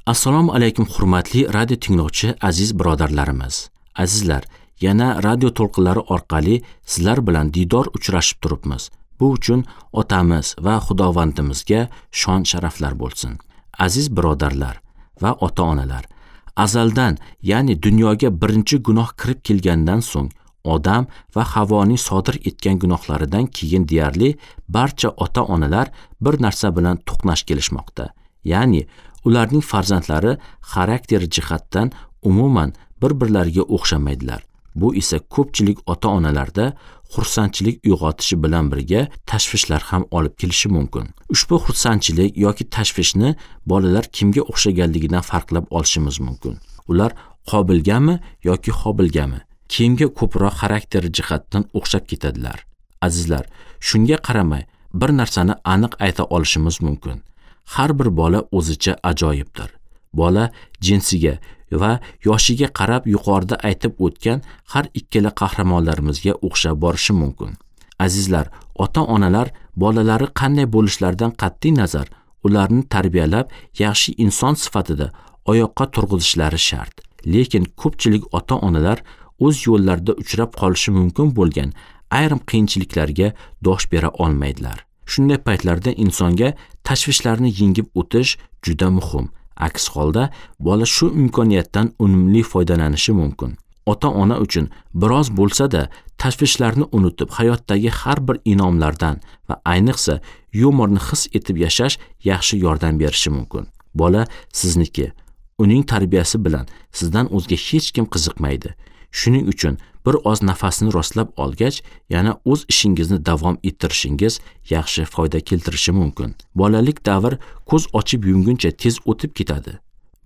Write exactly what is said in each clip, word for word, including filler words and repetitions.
Assalomu alaykum hurmatli radio tinglovchi aziz birodarlarimiz. Azizlar, yana radio to'lqinlari orqali sizlar bilan diydor uchrashib turibmiz. Bu uchun otamiz va Xudovandimizga shon sharaflar bo'lsin. Aziz birodarlar va ota-onalar, azaldan, ya'ni dunyoga birinchi gunoh kirib kelgandan so'ng Odam va Havoning sodir etgan gunohlaridan keyin deyarli barcha ota-onalar bir narsa bilan to'qnash kelishmoqda. Ya'ni ularning farzandlari xarakter jihatdan umuman bir-birlariga o'xshamaydilar. Bu esa ko'pchilik ota-onalarda xursandchilik uyg'otishi bilan birga tashvishlar ham olib kelishi mumkin. Ushbu xursandchilik yoki tashvishni bolalar kimga o'xshaganligidan farqlab olishimiz mumkin. Ular Qobilgami yoki Hobilgami? Kimga ko'proq xarakter jihatdan o'xshab ketadilar? Azizlar, shunga qaramay bir narsani aniq ayta olishimiz mumkin. Har bir bola o'zicha ajoyibdir. Bola jinsiga va yoshiga qarab yuqorida aytib o'tgan har ikkala qahramonlarimizga o'xshab borishi mumkin. Azizlar, ota-onalar bolalari qanday bo'lishlaridan qat'iy nazar ularni tarbiyalab, yaxshi inson sifatida oyoqqa turg'izishlari shart. Lekin ko'pchilik ota-onalar o'z yo'llarida uchrab qolishi mumkin bo'lgan ayrim qiyinchiliklarga dosh bera olmaydilar. Shunday paytlarda insonga tashvishlarni yengib o'tish juda muhim. Aks holda bola shu imkoniyatdan unumli foydalanishi mumkin. Ota-ona uchun biroz bo'lsa-da tashvishlarni unutib, hayotdagi har bir inomlardan va ayniqsa yumorni his etib yashash yaxshi yordam berishi mumkin. Bola sizniki, uning tarbiyasi bilan sizdan o'zga hech kim qiziqmaydi. Shuning uchun bir oz nafasini rostlab olgach, yana o'z ishingizni davom ettirishingiz yaxshi foyda keltirishi mumkin. Bolalik davr ko'z ochib yumguncha tez o'tib ketadi.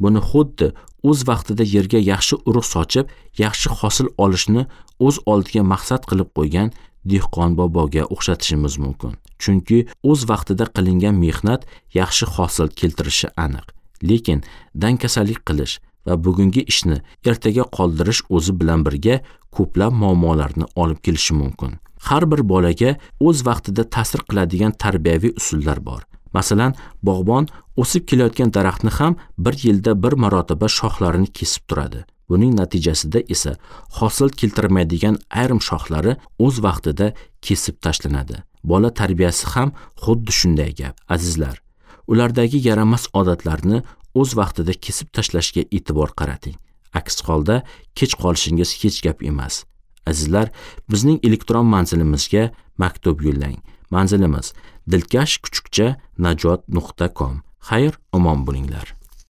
Buni xuddi o'z vaqtida yerga yaxshi urug' sochib, yaxshi hosil olishni o'z oldiga maqsad qilib qo'ygan dehqon boboga o'xshatishimiz mumkin. Chunki o'z vaqtida qilingan mehnat yaxshi hosil keltirishi aniq. Lekin dangasalik qilish va bugungi ishni ertaga qoldirish o'zi bilan birga ko'plab muammolarni olib kelishi mumkin. Har bir bolaga o'z vaqtida ta'sir qiladigan tarbiyaviy usullar bor. Masalan, bog'bon o'sib kelayotgan daraxtni ham bir yilda bir marotaba shoxlarini kesib turadi. Buning natijasida esa hosil keltirmaydigan ayrim shoxlari o'z vaqtida kesib tashlanadi. Bola tarbiyasi ham xuddi shunday gap. Azizlar, ulardagi yaramas odatlarni o'z vaqtida kesib tashlashga e'tibor qarating. Aks holda kech qolishingiz hech gap emas. Azizlar, bizning elektron manzilimizga maktub yo'llang. Manzilimiz dilkash kuchukcha najot nuqta com. Xayr, omon bo'linglar.